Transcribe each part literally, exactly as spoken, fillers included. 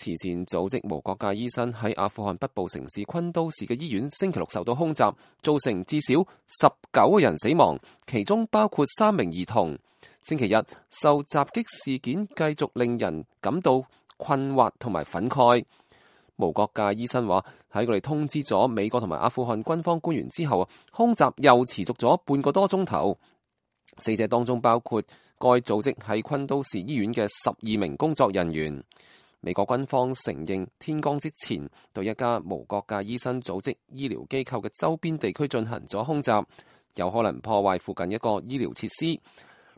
慈善組織無國界醫生喺阿富汗北部城市昆都士嘅醫院星期六受到空襲，造成至少十九個人死亡，其中包括三名兒童。星期日受襲擊事件繼續令人感到困惑同埋憤慨。無國界醫生話，喺佢哋通知咗美國同埋阿富汗軍方官員之後，空襲又持續咗半個多鐘頭。死者當中包括該組織喺昆都士醫院嘅十二名工作人員。美國軍方承認天光之前對一家無國界醫生組織醫療機構嘅周邊地區進行咗空襲，有可能破壞附近一個醫療設施。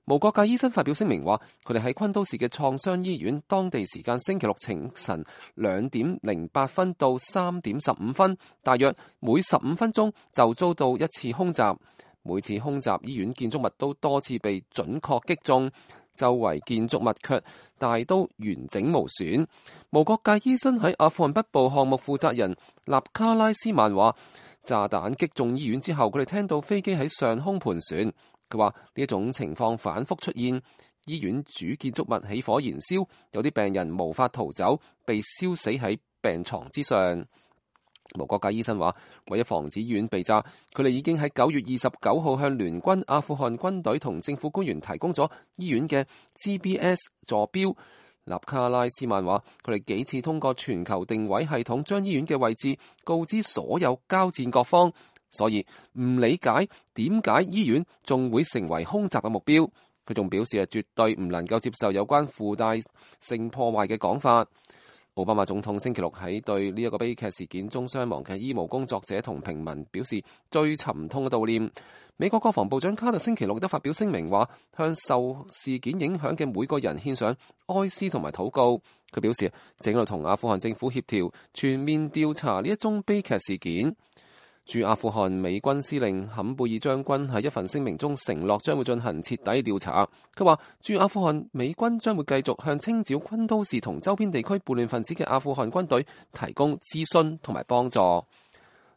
無國界醫生發表聲明話，佢哋喺昆都士嘅創傷醫院，當地時間星期六清晨兩點零八分到三點十五分，大約每十五分鐘就遭到一次空襲。每次空襲，醫院建築物都多次被準確擊中，周圍建築物卻大都完整無損。無國界醫生喺阿富汗北部項目負責人納卡拉斯曼話，炸彈擊中醫院之後，佢哋聽到飛機喺上空盤旋。佢話呢一種情況反覆出現，醫院主建築物起火燃燒，有啲病人無法逃走，被燒死喺病床之上。無國界醫生話，為咗防止醫院被炸，佢哋已經喺九月二十九號向聯軍阿富汗軍隊同政府官員提供咗醫院嘅 G P S 坐標。納卡拉斯曼話，佢哋幾次通過全球定位系統將醫院嘅位置告知所有交戰各方，所以唔理解點解醫院仲會成為空襲嘅目標。佢仲表示係絕對唔能夠接受有關附帶性破壞嘅講法。奧巴馬總統星期六喺對呢一個悲劇事件中傷亡嘅醫務工作者同平民表示最沉痛嘅悼念。美國國防部長卡特星期六亦都發表聲明話，向受事件影響嘅每個人獻上哀思同埋禱告。佢表示正喺度同阿富汗政府協調全面調查呢一宗悲劇事件。駐阿富汗美軍司令坎貝爾將軍喺一份聲明中承諾將會進行徹底調查。佢話駐阿富汗美軍將會繼續向清剿昆都士同周邊地區叛亂分子嘅阿富汗軍隊提供諮詢同埋幫助。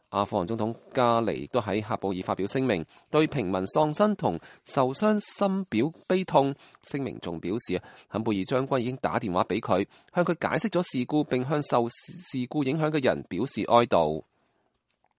阿富汗總統加尼亦都喺喀布爾發表聲明，對平民喪生同受傷深表悲痛。聲明仲表示，坎貝爾將軍已經打電話俾佢，向佢解釋咗事故，並向受事故影響嘅人表示哀悼。